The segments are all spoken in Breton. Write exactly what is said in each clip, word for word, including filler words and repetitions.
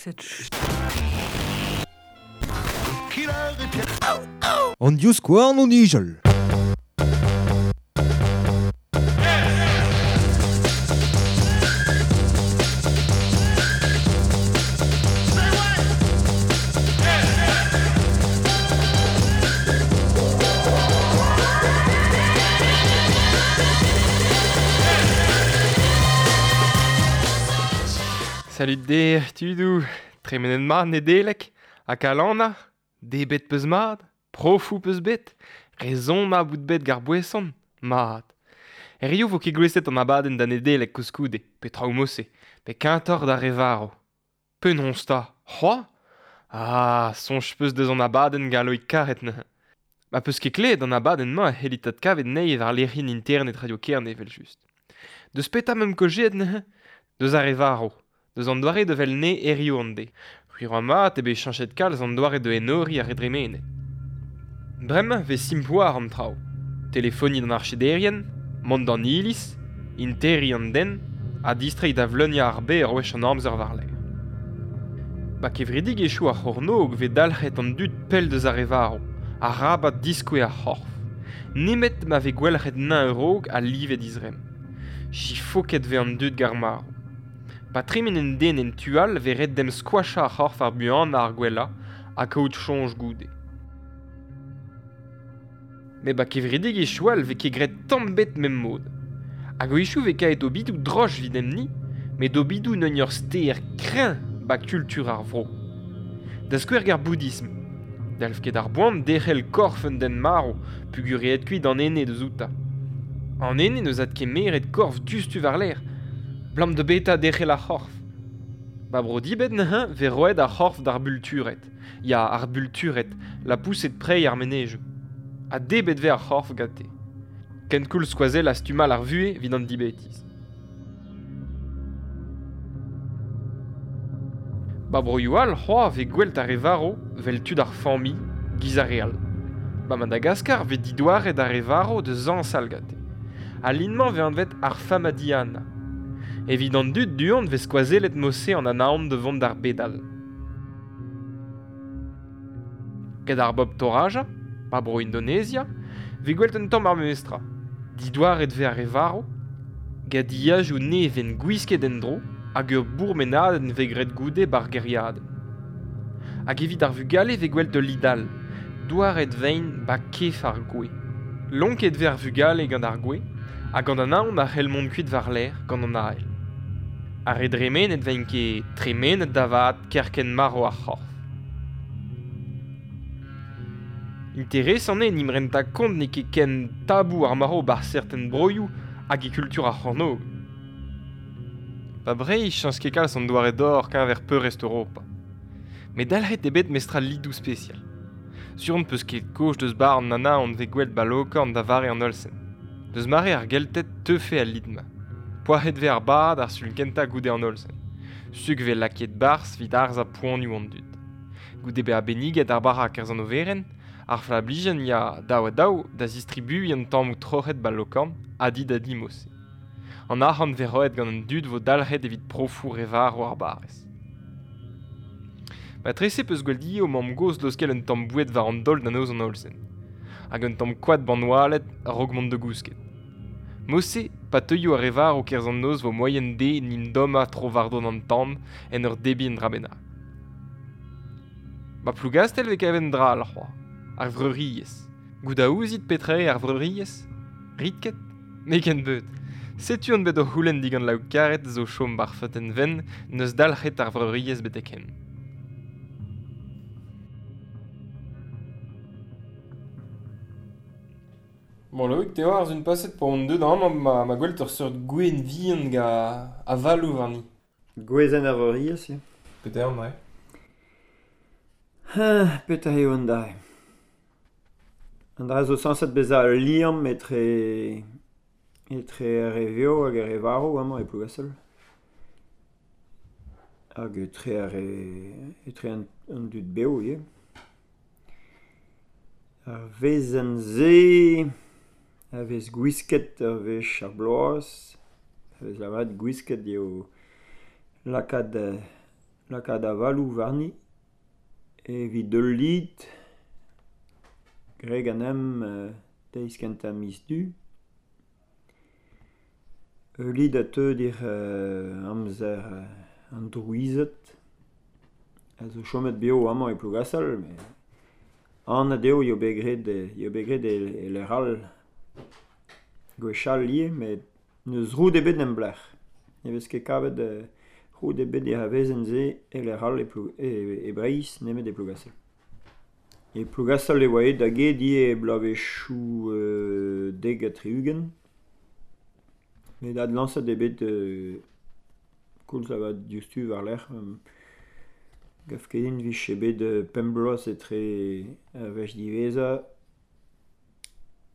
Cette An divskouarn o nijal. Salut der, tudou, tremenet mat Nedelec, ha kalanna, debet peus mat, profou peus bet, rezon ma bout bet gar boeson, mat. Erioù vo ket gweset an abadenn da Nedelec koulskoude, pe traoù mosse, pe kentoc'h da re varv. Penaos 'ta, c'hoazh ? Ah, soñj peus deus an abadenn galloik karet neuze. Ma peus ket klevet an abadenn-mañ e c'hellit adkavet anezhi war lec'hienn internet Radio Kerne evel-just. Deus petra meump kaozeet neuze ? Deus ar re varv. Deus an doare de vel ne erioù an de. C'hwi mat eo bet cheñchet kalz an doare de enoriñ ar re dremenet. Bremañ vez simploar an traoù. Telefoniñ d'an archederien, mont d'an iliz, interriñ an den, ha distreiñ da vleuniañ ar bez ur wech an amzer war-lerc'h. Ba kevredigezhioù ar c'hornôg vez dalc'het an dud pell deus ar re varv, arabat diskouez ar c'horf. Nemet ma vez gwalc'het nañ a-raok ha livet he zremm. Chifoket vez an dud gant ar marv. Pa tremen un den en tu all vez ret d'em skoachañ ar c'horf ar buanañ ar gwellañ ha kaout soñj goude. Met ba kevredigezhioù all vez ket graet tamm bet mem mod. Hag a-wechoù vez kaet obidoù droch evit emni, met obidoù n'eus ur ster kreñv ba kultur ar vro. Da skouer gant ar boudism. Dalv ket ar boan derc'hel korf un den marv peogwir aet kuit an ene deus outañ. An ene n'eus adkemeret korf diouzhtu war-lerc'h, blam de beta derc'hel ar c'horf. Ba bro dibet neuze vez roet ar c'horf d'ar bultured. Ya, ar bultured, la pouset prei ar menezioù. Ha debet vez ar c'horf gante. Kenkoulz skoazell a stumal ar vuhez evit an dibetiz. Ba broioù all c'hoazh vez gwelt ar re varv vel tud ar familh, giz ar re all. Ba Madagaskar vez didouaret ar re varv da zañsal gante. Al lin-mañ vez anvet ar Famadihana. Evit an dud du-hont vez skoazellet mosse an anaon da vont d'ar bed all. Gant ar bobl Toraja, ba bro Indonezia, vez gwelt un tamm ar memestra. Didouaret vez ar re varv, gant diajoù nevez gwisket en-dro hag ur bourmenadenn vez graet goude bar gêriadenn. Hag evit ar vugale vez gwelt ul lid all, douaret vein ba kef ar gwez. Lonket vez ar vugale gant ar gwez, ha gant an aon a c'hell mont kuit war-lerc'h gant an ael. Ar re dremenet veint ket tremenet da vat kerkent marv ar c'horf. Interesant eo n'im renta kont n'eo ket ken tabou ar marv bar serten broioù hag e kultur ar c'hornôg. Pa Breizh chañs ket kalz an doare d'or keñver peurrest Europa. Met dalc'het eo bet mestra lidoù spesial. Sur on peus ket kaoz deus bar an anaon vez gwelt ba Lokorn da vare an Olsen. Deus mare ar Gelted teufe al lid-mañ. Poazhet vez ar bad ar sul kentañ goude an Olsen. Suk vez lakaet barzh evit harzañ poanioù an dud. Goude bezañ benniget ar bara kerzh an overenn, ar flablijenn ya daou ha daou da zistribuiñ an tammoù troc'het ba Lokorn ha di da di mosse. An arc'hant vez roet gant an dud vo dalc'het evit profoù re varv ar barrez. Ma trese peus gwell di o mamm-gozh laoskel un tamm boued war an daol da noz an Olsen. Hag un tamm koad ban oaled a-raok mont da gousket. Mosse, pa teuio ar re varv kerzh an noz vo moaien dezhe n'int dommañ tro war-dro an tan en ur debriñ un dra bennak. Ba Plougastel vez kavet un dra all c'hoazh, ar vreuriezh. Goût a ouzit petra eo ar vreuriezh ? Rit ket ? N'eo ken beut. Setu on bet o c'houlenn digant Laou Karet zo chom bar feuten venn n'eus dalc'het ar vreuriezh betek-henn. Bon, Loïc, te oar un paset pour on deud amañ ma, ma gwelt ur seurt gwenn vihan ga avaloù warni. Gwezenn ar vreuriezh, ya. Petra eo, ouais. Ah, petra eo an dra. An dra zo sañset bezañ ul liamm etre, etre ar re vev hag ar re varv amañ e Plougastel. Hag etre ar re, etre an, an dud bev ivez. Ar wezenn-se a vez gwisket ur wech ar bloaz, a vez lavaret gwisket eo lakaat lakaat avaloù warni evit ul lid graet ganeomp deiz kentañ miz Du. Ul lid a teu d'ar amzer an drouized a zo chomet bev amañ e Plougastell met anat eo eo bet graet eo bet graet e lec'h all gwechall ivez met n'eus roud ebet en em lec'h. Ne vez ket kavet roud ebet er wezenn-se e lec'h all e Plou- e Breizh nemet e Plougastell. E Plougastell e oa aet da get ivez e bloavezhioù dek ha tri-ugent met adlañset eo bet koulz lavaret diouzhtu war-lerc'h. Gav ket din 'vije bet pemp bloaz etre ar wech diwezhañ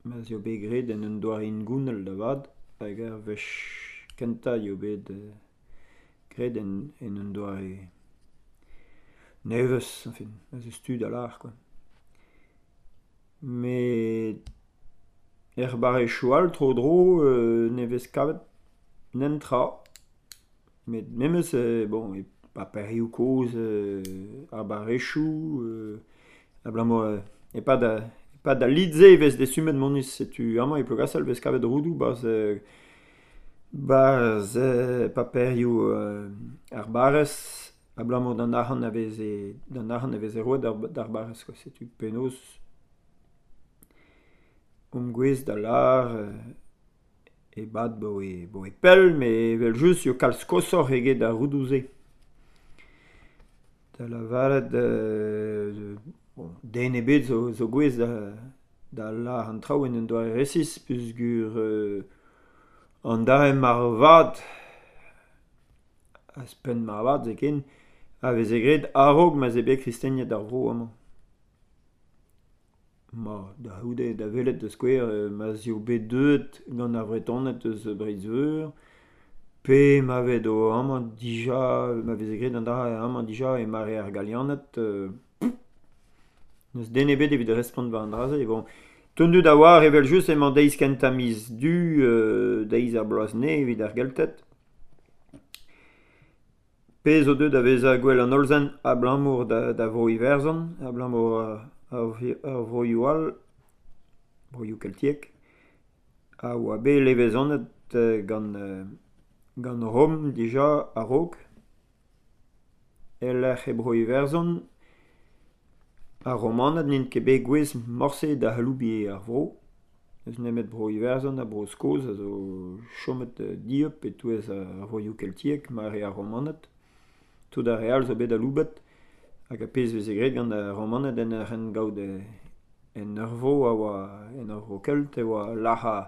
ma'z eo bet graet en un doare hengounel da vat hag ar wech kentañ eo bet graet en en un doare nevez añfin ma'z eus tu da lâr kwa. Met er barrezioù all tro-dro ne vez kavet netra met memes bon e paperioù kozh ar barrezioù abalamour e-pad e-pad al lid-se e vez dastumet moneiz setu amañ e Plougastell e vez kavet roudoù 'barzh 'barzh paperioù ar barrez abalamour d'an arc'hant a veze d'an arc'hant a veze roet d'ar barrez kwa setu penaos omp gouest da lâr e-bad 'baoe 'baoe pell met evel-just eo kalz koshoc'h eget ar roudoù-se. Da lavaret bon den ebet zo zo gouest da da lâr an traoù en un doare resis peogwir an dra moarvat ouzhpenn moarvat zoken a veze graet a-raok ma'z eo bet kristeniet ar vro amañ. Ma da c'houde da welet da skouer ma'z eo bet deuet gant ar Vretoned eus Breizh-Veur pe ma vez amañ dija ma veze graet an dra amañ dija e mare ar Galianed n'eus den ebet evit respont war an dra-se bon. Tout an dud a oar evel-just emañ deiz kentañ miz Du deiz ar bloaz nevez evit ar Gelted. Pezh zo deuet da vezañ gwell an Hollsent abalamour da da Vro-Iwerzhon, abalamour ar vroioù all, broioù keltiek, a oa bet levezonet gant gant Rom dija a-raok. E-lec'h e Bro-Iwerzhon, ar Romaned n'int ket bet gouest morse da aloubiñ ar vro. N'eus nemet Bro-Iwerzhon ha Bro-Skos a zo chomet dieub e-touez ar vroioù keltiek mare ar Romaned. Tout ar re all zo bet aloubet hag ar pezh 'veze graet gant ar Romaned en ur gaout en ur vro a oa en ur vro kelt e oa lazhañ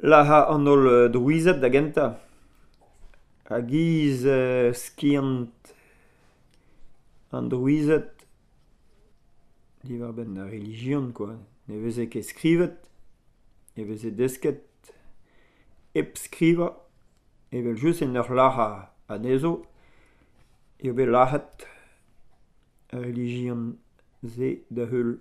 lazhañ an holl drouized da gentañ. A-giz skiant an drouized diwar-benn ar relijion kwa. Ne veze ket skrivet, e veze desket hep skrivañ evel-just en ur lazhañ anezho eo bet lazhet ar relijion-se da-heul.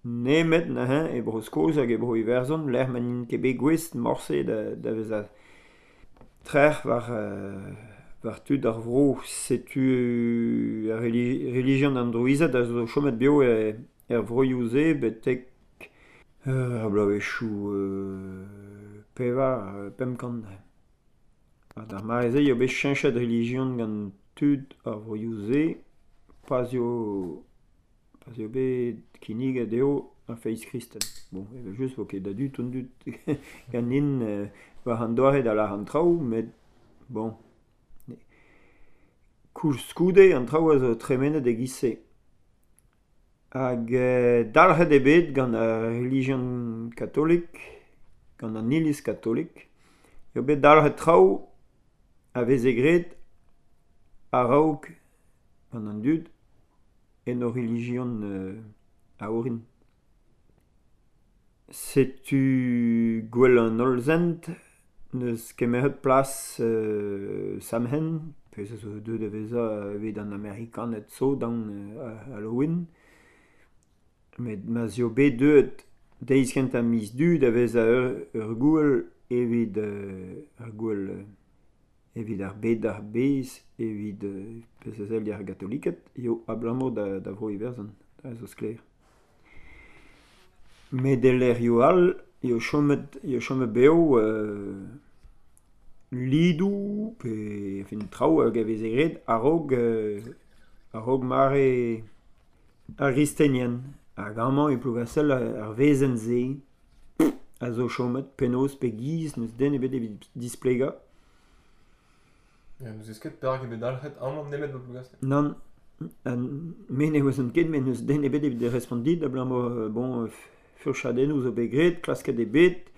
Nemet neuze e Bro-Skos hag e Bro-Iwerzhon lec'h ma n'int ket bet gouest morse da da vezañ trec'h war war tud ar vro. Setu ar relijion an drouized a zo chomet bev er vroioù-se betek ar bloavezhioù pevar pemp kant. Ha d'ar mare-se eo bet cheñchet relijion gant tud ar vroioù-se pa'z eo pa'z eo bet kinniget dezho ar feiz kristen. Bon, evel-just 'vo ket a-du tout an dud ganin war an doare da lâr an traoù met bon. Koulskoude an traoù a zo tremenet e-giz-se. Hag dalc'het eo bet gant ar relijion katolik, gant an iliz katolik, eo bet dalc'het traoù a veze graet a-raok gant an dud en o relijion a-orin. Setu gwell an Hollsent n'eus kemeret plas Samhain, pezh a zo deuet da vezañ evit an Amerikaned zo d'an Halloween. Met ma'z eo bet deuet deiz kentañ miz Du da vezañ ur ur gouel evit ur gouel Evit ar bed ar bez, evit euh, pezh a sell ar gatoliked, eo abalamour da, da vro Iwerzhon, da zo sklaer. Met e lec'hioù all eo chomet, eo chomet bev euh, lidoù pe enfin, traoù hag a veze graet a-raok euh, a-raok mare ar gristenien. Hag amañ e Plougastell ar wezenn-se a zo chomet penaos pe giz n'eus den ebet evit displegañ. Ya, n'eus ket perak eo bet dalc'het amañ nemet ba Plougastell. Nann, me ne ouezan ket, met n'eus den ebet evit respont dit, abalamour bon, furchadennoù zo bet graet, klasket eo bet,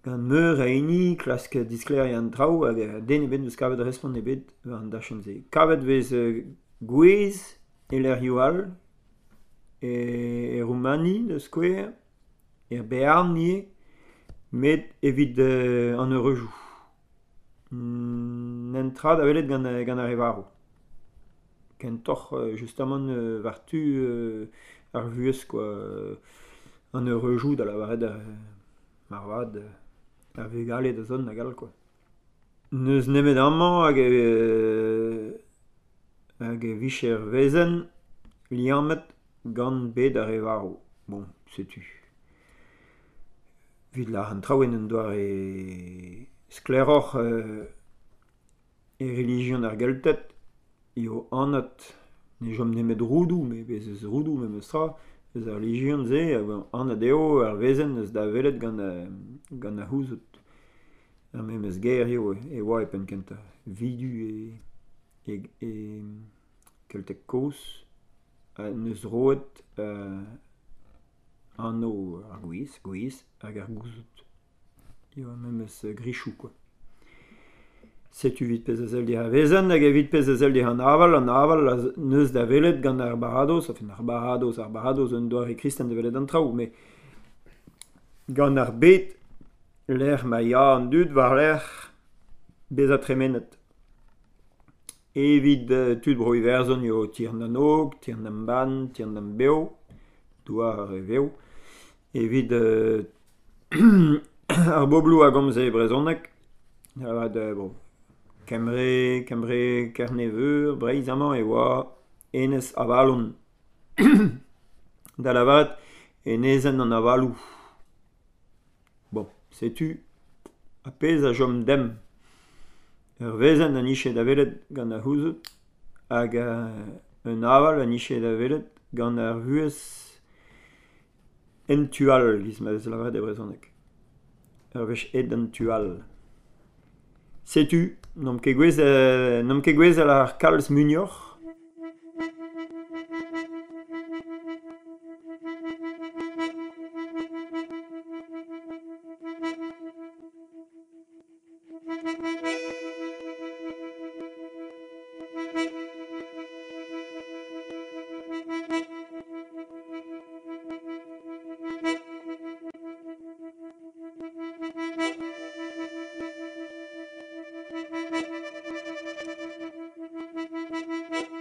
gant meur a hini, klask disklêriañ an traoù, hag den ebet n'eus kavet respont ebet war an dachenn-se. Kavet vez gwez e lec'hioù all, e, e Roumani, da skouer, er Bearn ivez, met evit euh, an eureujoù. N'en tra da welet gant, gant ar re varv. Kentoc'h justamant war tu ar vuhez quoi, an eureujoù da lavaret ar marvad ar vugale da zont hag all quoi. N'eus nemet amañ hag e, hag e vije ur wezenn liammet gant bed ar re varv. Bon, setu. Evit lâr an traoù en un doare sklaeroc'h euh, e relijion ar Gelted eo anat ne chom nemet roudoù, met bez eus roudoù memes tra, eus ar relijion-se, anat eo ar wezenn eus da welet gant, gant ar c'houzout. Ar memes ger eo e oa e penn kentañ. Vidu e, e, e Kelteg kozh n'eus roet euh, anv ar gwez, gwez hag ar gouzout. Eo ar memes grichoù quoi. Setu evit pezh a sell dir ar wezenn hag evit pezh a sell dir an aval, an aval a n'eus da welet gant ar baradoz, enfin ar baradoz, ar baradoz un doare kristen da welet an traoù, met gant ar bed lec'h ma ya an dud war-lerc'h bezañ tremenet. Evit tud bro Iwerzhon eo Tir na Nog, Tir na Ban, Tir na Bev, douar ar re vev. Evit euh, ar bobloù a gomze brezhoneg, avat bon, Kembre, Kembre, Kerne-Veur, Breizh amañ e oa Enez Avalon. Da lavaret enezenn an avaloù. Bon, setu ar pezh a chom demp. Ur wezenn a nije da welet gant ar c'houzout hag un aval a nije da welet gant ar vuhez en tu all, giz ma vez lavaret e brezhoneg. Ur wech aet d'an tu all. Setu, n'omp ket gouez, n'omp ket gouez ar kalz muioc'h. Thank you.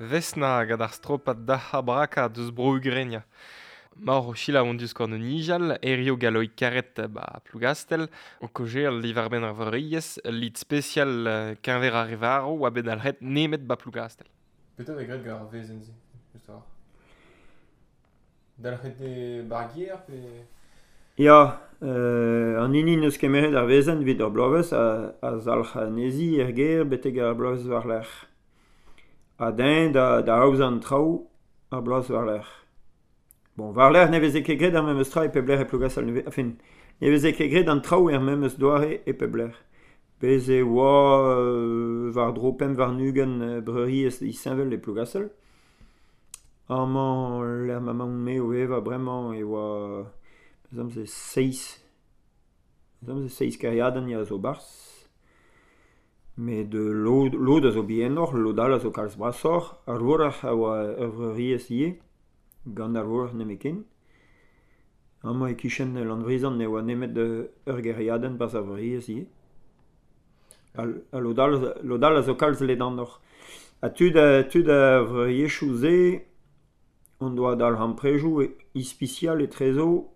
Vesna gant ar stropat da braka deus bro Ugrenia. Maor o sila on deus korn nijal, erio galoik karet ba Plougastel, o kojer livarben ar vreuriez, lid spesial keñver ar revaro oa bet alret nemet ba Plougastel. Petra vez graet gant ar vezenn-se, just war. Dalc'het e bargier pe... Ya, euh, an hini neus kemeret ar vezenn evit ur bloavezh a, a zalc'h anezhi er gêr betek ar bloavezh war-lerc'h. Ha deñ da, da aozañ an traoù ar bloaz war-lerc'h. Bon, war-lerc'h ne veze ket graet ar memes tra e pep lec'h e Plougastel, ne, enfin, ne veze ket graet an traoù er memes doare e pep lec'h. Bez e oa euh, war-dro pemp warn-ugent breuriezh disheñvel e Plougastel. Amañ lec'h ma emaon-me o vevañ bremañ e oa se seizh se seizh kêriadenn ya zo barzh. Met lod, lod a zo bihanoc'h, lod all a zo kalz brasoc'h. Ar vourc'h a oa ur vreuriezh ivez, gant ar vourc'h nemetken. Amañ e-kichen Landrizan ne oa nemet ur gêriadenn barzh ar vreuriezh ivez. Ha, ha lod all, lod all a zo kalz ledanoc'h. Ha tud, tud ar vreuriezhioù-se on doa dalc'hamprejoù ispisial etrezo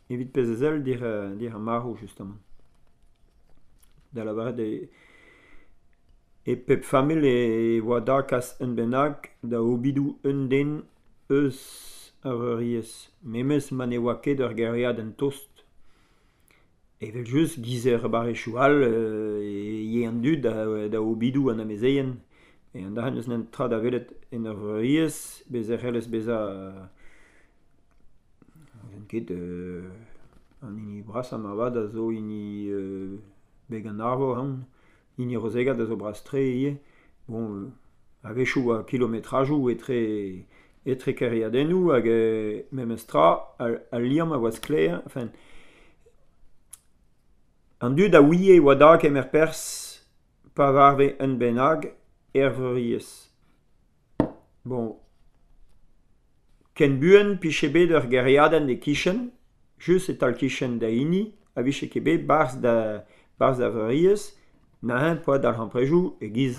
evit pezh a sell dir, dir ar marv justement. Da lavaret e, e pep familh e oa da kas un bennak da obidoù un den eus ar vreuriezh. Memes ma ne oa ket ur gêriadenn tost. Evel just giz er barrezhioù all e ye an dud da, da obidoù an amezeien. E an dac'h n'eus nen tra da welet en ur vreuriezh, bez e c'hellez bezañ ket euh, an hini brasañ marvat a zo hini euh, beg an arvor, hein. Hini Rozegat a zo bras-tre ivez. Bon, euh, a-wechoù a kilometrajoù etre, etre kêriadennoù hag euh, memes tra al, al liamm a oa sklaer. Enfin, an dud a ouie oa da kemer perzh pa varve un bennak er vreuriezh. Bon, ken buan piche bet ur gêriadenn e-kichen, just e-tal kichen da hini, a vije ket bet barzh da, barzh da vreuriezh, neuze poa dalc'hamprejoù e-giz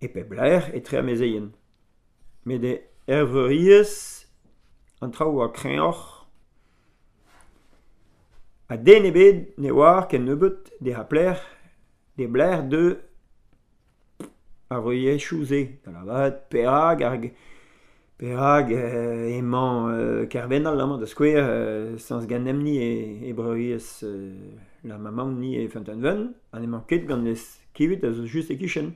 e pep lec'h etre amezeien. Met er vreuriezh, an traoù oa kreñvoc'h. Ha den ebet ne oar ken nebeut de ha plec'h, de blec'h de ar vreuriezhioù-se. Da lavaret perak ar Perak euh, emañ euh, Kervenal amañ da skouer euh, sañs ganemp-ni e, e breuriezh euh, la maman-ni e Feunteun-Wenn, ha n'emañ ket gant Leskivit a zo just e-kichen.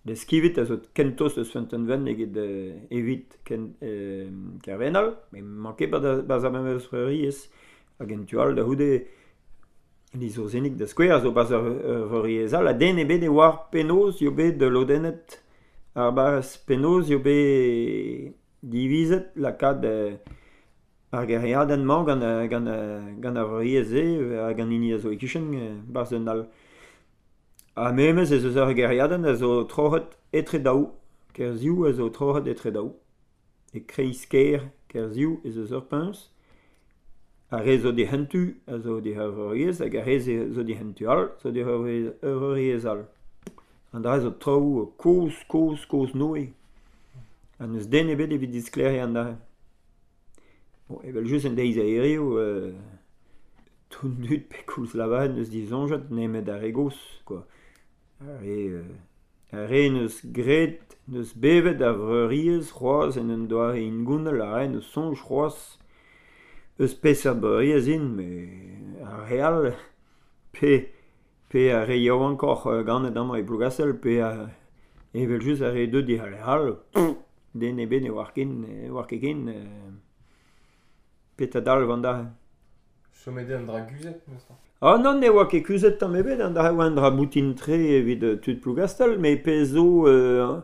Leskivit a zo kentost eus Feunteun-Wenn eget euh, evit ken, euh, Kervenal, met emañ ket barzh ar memes breuriezh. Hag en tu all da c'houde Lizourzenig da skouer a zo barzh ur vreuriezh all, ha den ebet e oar penaos eo bet lodennet ar barrez, penaos eo bet divizet lakaat euh, ar gêriadenn-mañ gant, gant, gant ar vreuriezh-se hag an hini a zo e-kichen barzh un all. Ha memes ez eus ur gêriadenn a zo troc'het etre daou. Kerziou a zo troc'het etre daou. E kreiz-kêr Kerziou ez eus ur puñs. Ar re zo dic'hentu a zo dic'h ur vreuriezh hag ar re zo dic'hentu all zo dic'h ur vreuriezh all. An dra zo traoù kozh, kozh, kozh-noe. Ha n'eus den ebet evit disklêriañ an dra. Bon, evel just en deiz a hiriv, euh, tout an dud pe koulz lavaret n'eus disoñjet nemet ar re gozh, quoi. Ar re, euh, ar re n'eus graet, n'eus bevet ar vreuriezh c'hoazh en un doare hengounel, ar re n'eus soñj c'hoazh eus peseurt breuriezh int, met ar re all, pe, pe ar re yaouankoc'h ganet amañ e Plougastel, pe ar, evel just ar re deuet dic'h all, den ebet ne oar ken, ne oar ket ken, euh, petra dalv an dra. Chomet eo an dra kuzhet, memes tra. Ah non, ne oa ket kuzhet tamm ebet, an dra oa un dra boutin-tre evit tud Plougastel, met pezh zo euh,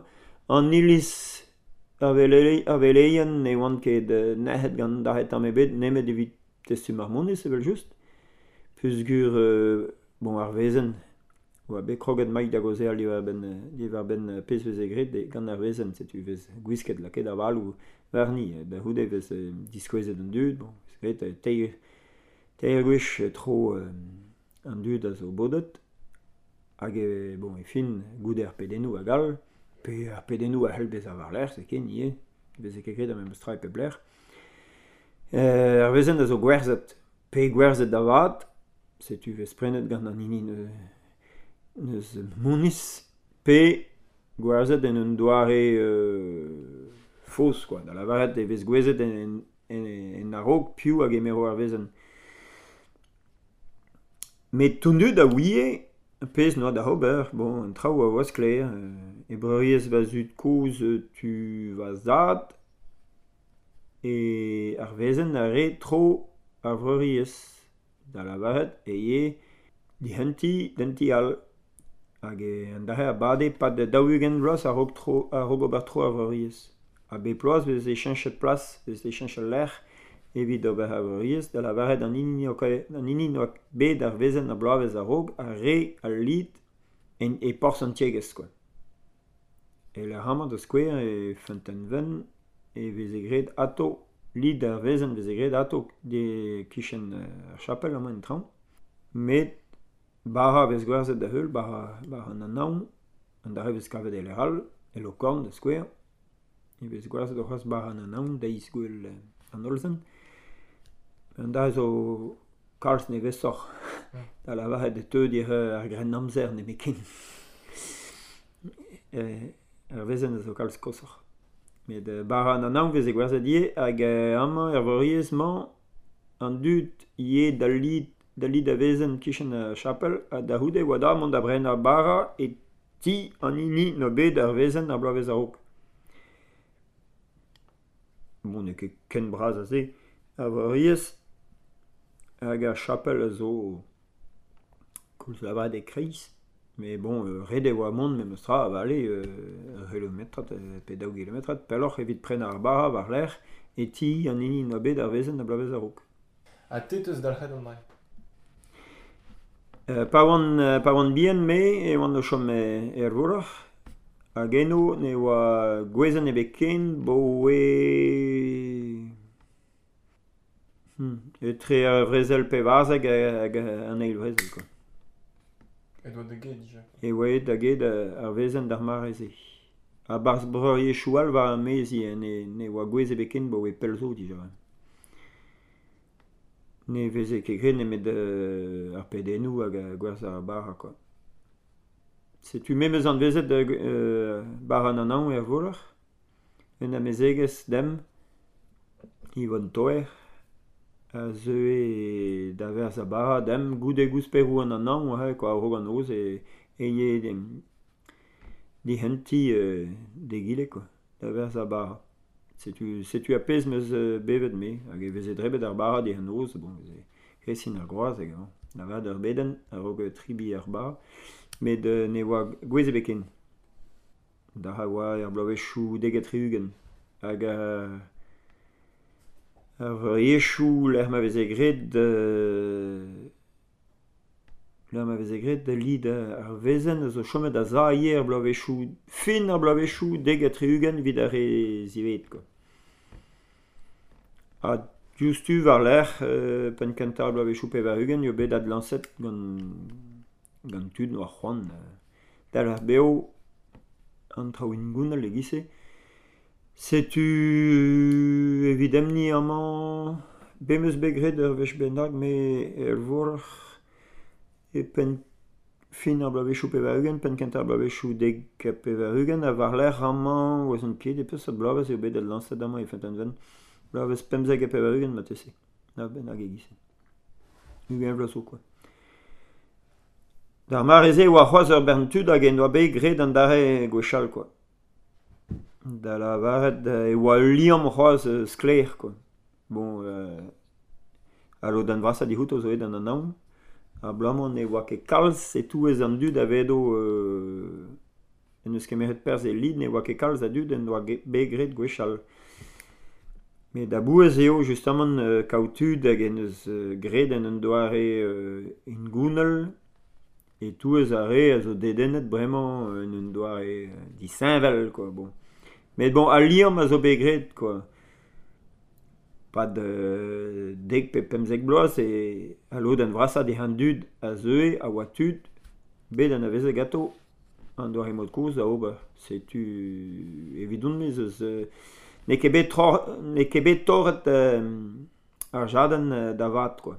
an iliz ar veleien ne oant ket nec'het gant an dra tamm ebet, nemet evit testum ar monez evel-just. Peogwir, euh, bon, ar vezenn, oa bet kroget maik da gaozeal diwar-benn, diwar-benn pezh veze graet gant ar vezenn, setu vez gwisket lakaet avaloù warni, da c'houde vez diskouezet an dud, bon, vez graet teir, teir gwech tro euh, an dud a zo bodet, hag e, bon, e fin, goude ar pedennoù hag all, Pe ar pedennoù a c'hell bezañ war-lerc'h, se ken ivez, veze ket graet ar memes tra e pep lec'h. Euh, ar wezenn a zo gwerzhet, pe gwerzhet da vat, setu vez prenet gant an hini neus moniz, pe gwerzhet en un doare euh, faos, quoi. Da lavaret e vez gouezet en, en, en a-raok piv a gemero ar wezenn. Met tout dud a ouie, pezh n'oa da ober, bon, an traoù a oa sklaer. E breuriezh va zud-kozh tu va zad, e ar wezenn a re tro ar vreuriezh. Da lavaret e ye dihentiñ d'an ti all. Hag an dra a bade pad daou-ugent vloaz a-raok tro, a-raok ober tro ar vreuriezh. Ha bep bloaz veze cheñchet plas, veze cheñchet lec'h evit ober ar vreuriezh, da lavaret an hini an hini n'oa bet ar wezenn ar bloavezh a-raok a re al lid en e porzh an tiegezh, quoi. E lec'h amañ da skouer e Feunteun-Wenn e veze graet atao, lid ar wezenn veze graet atao de kichen ar chapel amañ en traoñ. Met bara vez gwerzhet da heul, bara, bara an anaon, an dra vez kavet e lec'h all, e Lokorn da skouer. E vez gwerzhet c'hoazh bara an anaon deiz gwell an hollzen. An dra zo kalz nevesoc'h da lavaret e teu dir ar grennamzer nemetken. Ar wezenn a zo kalz koshoc'h. Met bara an anaon veze gwerzhet ivez hag amañ er vreuriezh-mañ an dud ivez da lid da lid a wezenn kichen ar chapel ha da c'houde e oa da mont da brenañ bara e ti an hini n'oa bet ar wezenn ar bloavezh a-raok. Bon, n'eo ket ken bras a se ar vreuriezh hag ar chapel a zo koulz lavaret e-kreiz. Mais bon, euh, ret e oa mont memes tra a vale euh, ur c'hilometrad pe daou gilometrad pelloc'h evit prenañ ar bara war-lerc'h e ti an hini n'oa bet ar wezenn ar bloavezh a-raok. Ha te teus dalc'het an dra? Euh, pa oan, pa oan bihan me e oan o chom er Vourc'h hag eno ne oa gwezenn ebet ken boe hmm, etre ar vrezel pevarzek hag an eil vrezel, quoi. E doa da get dija. E oa aet da get ar wezenn d'ar mare-se. A-barzh breuriezhioù all war ar maez ivez, ne, ne oa gwez ebet ken boe pell zo dija. Ne veze ket graet nemet euh, ar pedennoù hag gwerzhañ ar bara, quoi. Setu me 'meus anavezet euh, bara an anaon er Vourc'h, un amezegez demp, Yvonne Toer, a zeue da werzhañ bara demp goude gousperoù an anaon hein, quoi, a-raok an noz e, e ye dihentiñ euh, d'egile, quoi, da werzhañ bara. Setu, setu ar pezh 'meus bevet me, hag e veze drebet ar bara diouzh an noz, bon, veze kresin ar groaz hag bon, lavaret ur bedenn a-raok tribiñ ar bara, met euh, ne oa gwezh ebet ken. Da a oa er bloavezhioù dek ha tri-ugent. Hag euh, ar vreuriezhioù lec'h ma veze graet euh, lec'h ma veze graet lid ar wezenn a zo chomet a-za ivez er bloavezhioù, fin ar bloavezhioù dek ha tri-ugent evit ar re ziwezhat, quoi. Ha diouzhtu war-lerc'h euh, penn kentañ ar bloavezhioù pevar-ugent eo bet adlañset gant, gant tud n'oa c'hoant dalc'h bev an traoù hengounel e-giz-se. Setu evit emni amañ, bet 'meus bet graet ur wech bennak me er Vourc'h e penn fin ar bloavezhioù pevar-ugent, penn kentañ ar bloavezhioù dek ha pevar-ugent ha war-lerc'h amañ ouzon ket e peseurt bloavezh eo bet adlañset amañ e Feunteun-Wenn. Bloavezh pemzek ha pevar-ugent marteze, na bennak e-giz-se. Ugent vloaz zo, quoi. D'ar mare-se e oa c'hoazh ur bern tud hag en doa bet graet an dare gwechall, quoi. Da lavaret e oa ul liamm c'hoazh sklaer, quoi. Bon, euh, al lodenn vrasañ dic'houto zo aet d'an anaon, abalamour ne oa ket kalz e-touez an dud a vedo euh, en deus kemeret perzh e lid, ne oa ket kalz a dud en doa bet graet gwechall. Met a-bouez eo justamant euh, kaout tud hag en deus graet en un doare euh, hengounel e-touez ar re a zo dedennet bremañ en un doare disheñvel, quoi, bon. Met bon, al liamm a zo bet graet, quoi. Pad euh, dek pe pemzek bloaz e al lodenn vrasañ dezhañ an dud a zeue a oa tud bet anavezet ganto An doare mod kozh da ober. Setu evidon-me ez eus n'eo ket bet tro, n'eo ket bet torret euh, ar jadenn da vat quoi.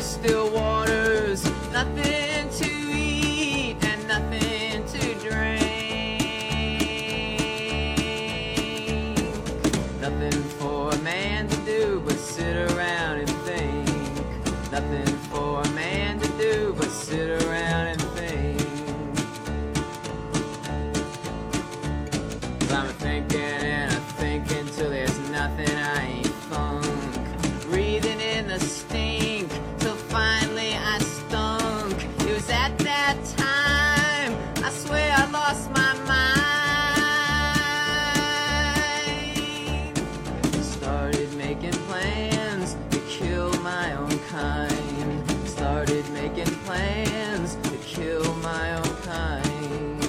Still waters, nothing to eat and nothing to drink, nothing for a man to do but sit around and think, nothing for a man to do but sit around and think. I'm thinking and I'm thinking till there's nothing I ain't funk, breathing in the stink. Finally I stunk. It was at that time I swear I lost my mind. Started making plans to kill my own kind. Started making plans to kill my own kind.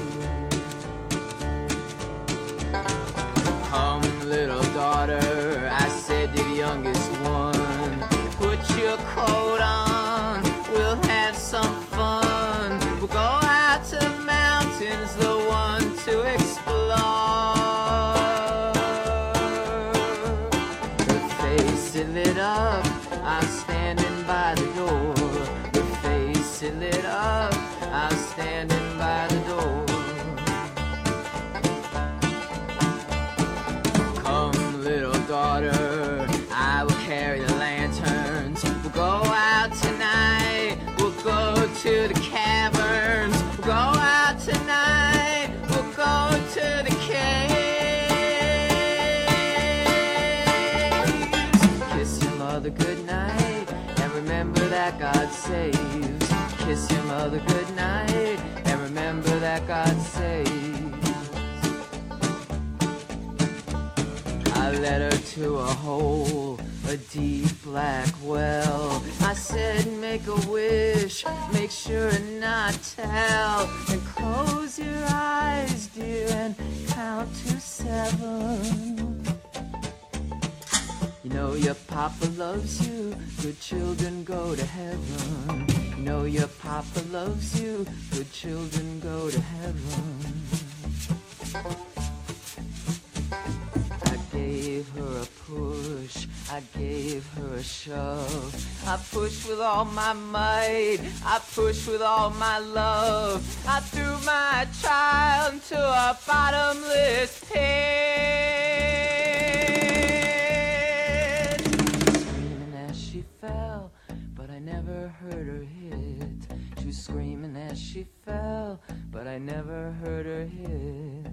Come little daughter, I said to the youngest one, put your coat on, we'll have some fun. We'll go out to the mountains, the one to explore. Her face it lit up, I'm standing by the door. Her face it lit up, I'm standing by the door. Come little daughter, I will carry the lanterns. We'll go out tonight, we'll go to the caverns. We'll go out tonight, we'll go to the caves. Kiss your mother goodnight and remember that God saves. Kiss your mother goodnight and remember that God saves. I led her to a hole, a deep black well. I said, make a wish, make sure and not tell. And close your eyes, dear, and count to seven. You know your papa loves you, good children go to heaven. You know your papa loves you, good children go to heaven. I gave her a push, I gave her a shove. I pushed with all my might, I pushed with all my love. I threw my child into a bottomless pit. Screaming as she fell, but I never heard her hit. She was screaming as she fell, but I never heard her hit.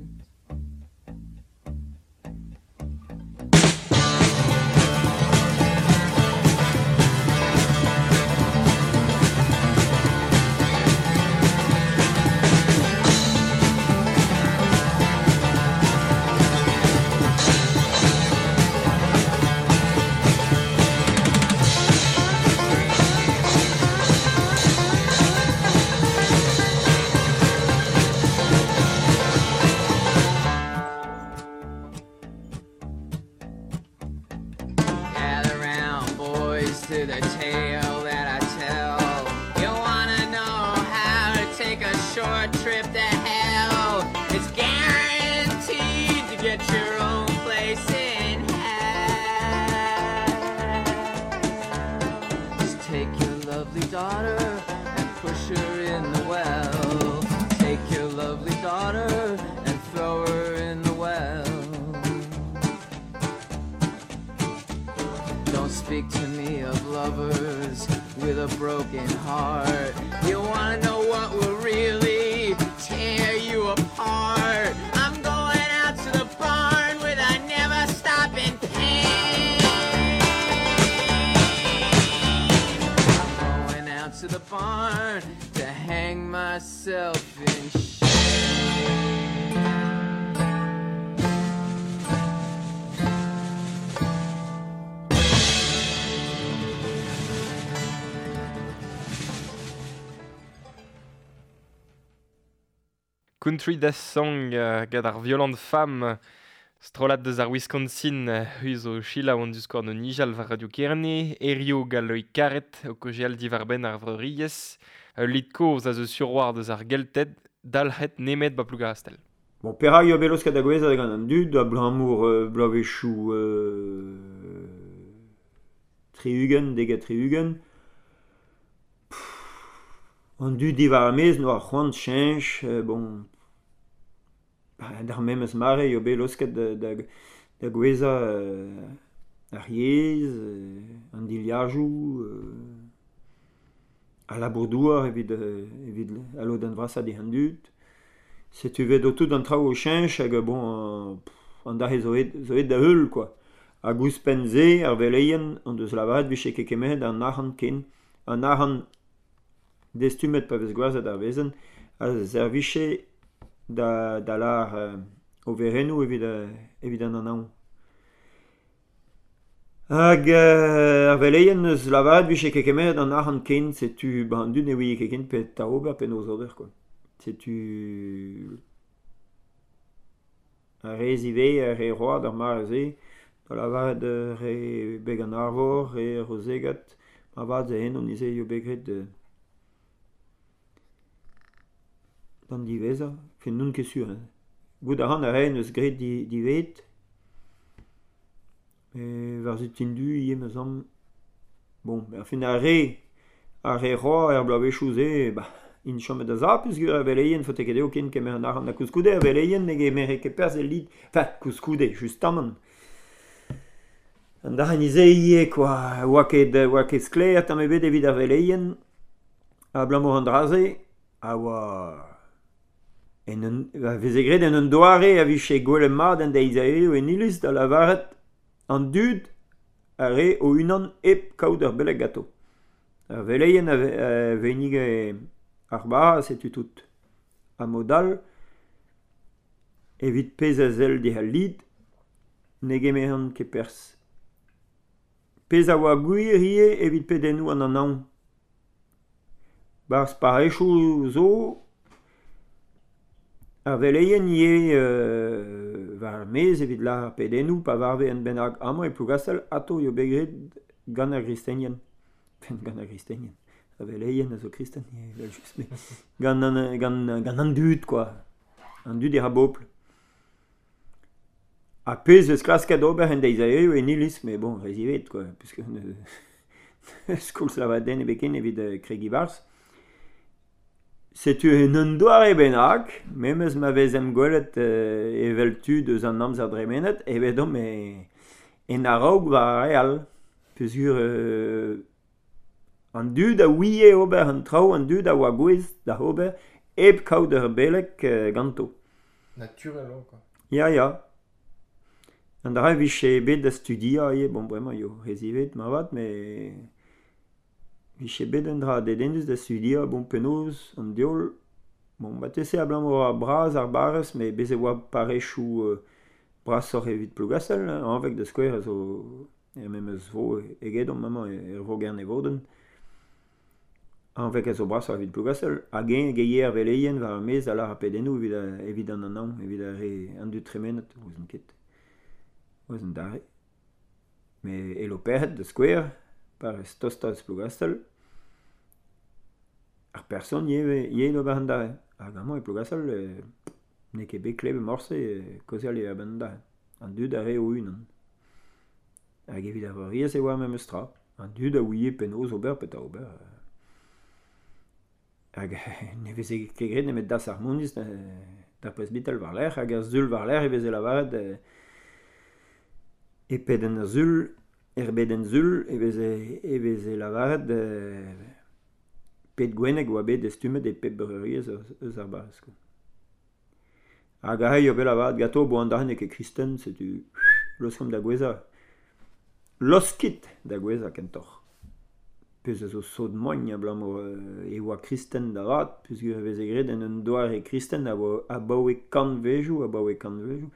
To the tale that I tell. You wanna know how to take a short trip to hell? It's guaranteed to get your own place in hell. Just take your lovely daughter and push her in the well. Take your lovely daughter and throw her in the well. Don't speak to me of lovers with a broken heart. You wanna know what will really tear you apart? I'm going out to the barn with a never stopping pain. I'm going out to the barn to hang myself in shame. Country Death Song uh, gant ar Violent Femme strollad deus ar Wisconsin hu zo selaou an diskouarn o nijal war Radio Kerne, Erio gant Loïc Karet o kaozeal diwar-benn ar vreuriezh, ul lid kozh a zo sur-war deus ar Gelted, dalc'het nemet ba Plougastel. Bon, perak eo bet laosket da gouezhañ gant an dud, abalamour euh, bloavezhioù euh, tri-ugent, dek ha tri-ugent. An dud diwar ar maez n'oa c'hoant cheñch, euh, bon, d'ar memes mare eo bet laosket da, da, da gouezhañ euh, ar yezh, euh, an dilhajoù, euh, al labour-douar evit, euh, evit al lodenn vrasañ dezhañ an dud. Setu vet o tout an traoù o cheñch hag bon, euh, an dare zo aet, zo aet da heul quoi. Hag ouzhpenn-se ar veleien an deus lavaret vije ket kemeret an arc'hant ken. An arc'hant destumet pa vez gwerzhet ar wezenn a servije da, da lar euh, overennoù evit, euh, evit an anaon. Hag euh, ar veleien eus lavaret vije ket kemeret an arc'hant ken, setu ba an dud ne ouie ket ken petra ober penaos ober quoi. Setu ar re ivez, ar re road ar mare-se, da lavaret re beg an Arvor, re Rozegat, ma vat ze eno nize eo bet graet euh, d'an diwezhañ, fin n'on ket sur. Hein. Goût a ran ar re neus graet di, diwezhat, met war-zu Tindu ivez ma zamm. Bon, ar fin ar re, ar re roa er bloavezhioù-se, bah, int chomet da za, peogwir ar veleien faote ket dezho ken kemer an arc'hant. Ha koulskoude ar veleien ne gemere ket perzh el lid. Enfin, koulskoude, justamant. An dac'h nize ivez, quoi. Oa ket, oa ket sklaer tamm ebet evit ar veleien, abalamour an dra-se, a oa en un, a veze graet en un doare a vije gwelet mat en deiz a hiziv en iliz da lavaret an dud a re o-unan hep kaout ur beleg ganto. Ar veleien a, ve, a vennige ar bara, setu tout. Ha mod all, evit pezh a sell dezhañ al lid, ne gemeront ket perzh. Pezh a oa gwir ivez evit pedennoù an anaon. Barzh parrezioù zo, ar veleien ivez euh, war ar maez evit lâr ar pedennoù pa varve un bennak amañ e Plougastel, atav eo bet graet gant ar gristenien. Enfin, gant ar gristenien. Ar veleien a zo kristen ivez, evel-just, met gant an, gant, gant an dud, quoi. An dud e ra bobl. Ha pezh eus klasket ober en deiz a hiziv en iliz, met bon, re ziwezhat, quoi, puisque ne koulz lavaret den ebet ken evit kregiñ barzh. Setu en un doare bennak, memes ma vezemp gwelet euh, evel tud eus an amzer dremenet, evedomp e, en a-raok war ar re all. Peogwir euh, an dud a ouie ober an traoù, an dud a oa gouest da ober hep kaout ur beleg euh, ganto. Naturel eo, quoi. Ya, ya. An dra e vije bet da studiañ ivez, bon bremañ eo re ziwezhat moarvat, met vije bet un dra dedennus da studiañ, bon penaos an diaoul, bon marteze abalamour ar bras ar barrez, met bez e oa parrezioù euh, brasoc'h evit Plougastel, hein, Hañveg da skouer a zo er memes vro egedomp amañ er vro Gernevodenn. Hañveg a zo brasoc'h evit Plougastel, hag eñ geie ar veleien war ar maez a lâr ar pedennoù evit, evit an anaon, evit ar re an dud tremenet, ouzon ket. Ouzon dare. Met e Loperc'hed da skouer, parrez tostañ eus Plougastel, ar person ivez ivez d'ober an dare. Hag amañ e Plougastel euh, n'eo ket bet klevet morse euh, kaozeal eo a-benn an dare. An dud a re o-unan. Hag evit ar vreuriezh e oa memes tra. An dud a ouie penaos ober petra ober. Hag ne veze ket graet nemet das ar moniz d'ar presbital war-lerc'h, hag ar sul war-lerc'h e veze lavaret euh, e pedenn ar sul, er bedenn sul, e veze, e veze lavaret euh, pet gwenneg oa bet destumet e pep breuriezh eus, eus ar barrez, quoi. Hag aze eo bet lavaret ganto, bon an dra n'eo ket kristen, setu laoskomp da gouezhañ. Laoskit da gouezhañ kentoc'h. Pezh a zo sot mogn abalamour euh, e oa kristen da vat, peogwir e veze graet en un doare kristen a oa abaoe kantvejoù, abaoe kantvejoù.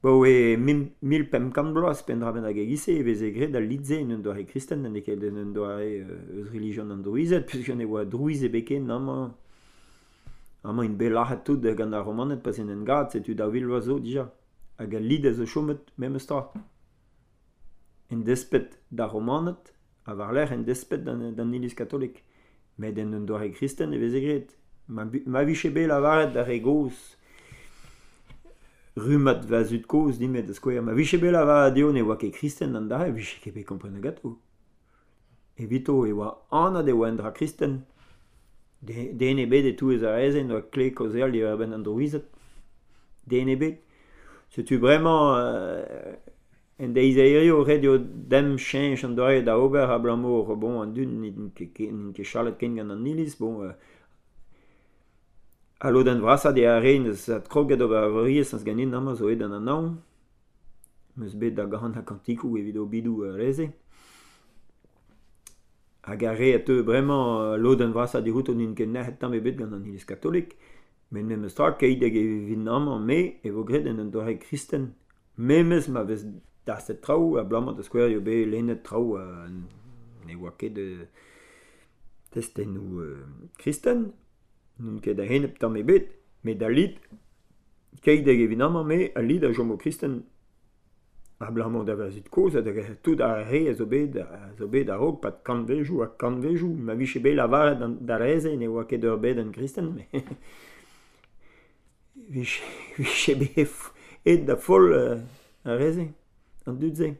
Baoe mil pemp kant bloaz pendra bennak e-giz-se e veze graet al lid-se en un doare kristen, n'eo ket en un doare euh, eus relijion an drouized, peogwir ne oa drouiz ebet ken amañ Amañ int bet lac'het tout gant ar Romaned pas en en gad, setu daou vil vloaz zo dija. Hag al lid a zo chomet memes tra. En despet d'ar Romaned, ha war-lerc'h en despet d'an, d'an iliz katolik. Met en un doare kristen e veze graet. Ma, ma vije bet lavaret d'ar re gozh, rummad va zud kozh dimet da skouer, ma vije bet lavaret dezho ne oa ket kristen an dra, e vije ket bet komprenet ganto. Evito e oa anat e oa un dra kristen. Den ebet e-touez ar re-se n'oa kle kaozeal diwar-benn an drouized. Den ebet. Setu bremañ euh, en deiz a hirio ret eo dem cheñch an doare da ober abalamour bon an dud n'int ket, n'int ket chalet ken gant an iliz. Bon, euh, al lodenn vrasañ eo ar re n'eus adkroget ober ar vreuriezh n'eus ganin amañ zo aet d'an anaon. M'eus bet da ganañ kantikoù evit obidoù ar re-se. Hag ar re a teu bremañ lodenn vrasañ dic'houto n'int ket nec'het tamm ebet gant an iliz katolik, met memes tra keit hag e vin amañ me e vo graet en un doare kristen. Memes ma vez daset traoù abalamour da skouer eo bet lennet traoù euh, ne oa ket euh, testennoù euh, kristen, n'on ket a-enep tamm ebet, met al lid, keit hag e vin amañ me, al lid a chomo kristen. Abalamour da va zud kozh ha da tout ar re a zo bet a zo bet a-raok pad kantvejoù ha kantvejoù. Ma vije bet lavaret d'ar re-se ne oa ket ur bedenn kristen, met vije, vije bet aet da foll ar re-se, an dud-se.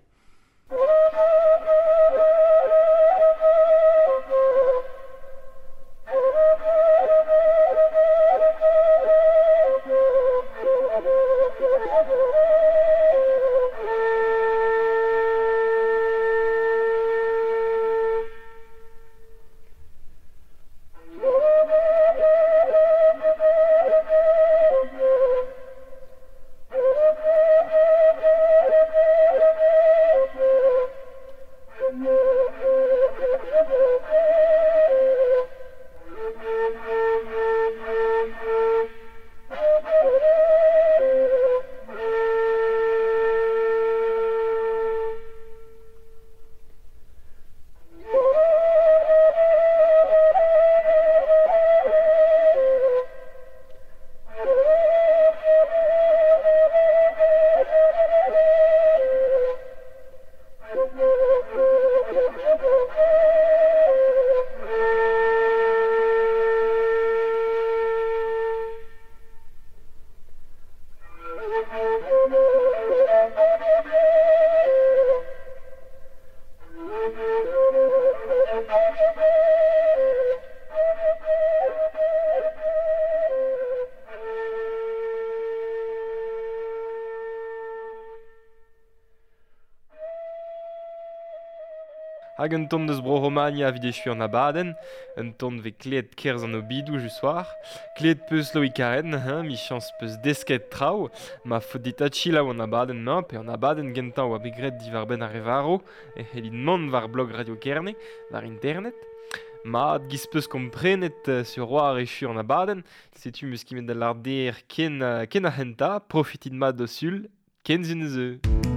Hag un ton deus Bro-Romania evit echu an abadenn, un ton vez kleet kerzh an obidoù just war, kleet peus Loïc Karen, hein, michañs peus desket traoù, ma faot dit adchilaou an abadenn-mañ pe an abadenn gentañ oa bet graet diwar-benn ar re varv, e c'hellit mont war blog Radio Kerne, war internet. Mat giz peus komprenet sur war echu an abadenn, setu meus kimet da lar der ken, ken ar c'hentañ, profitit mat d'o sul, ken zun eus.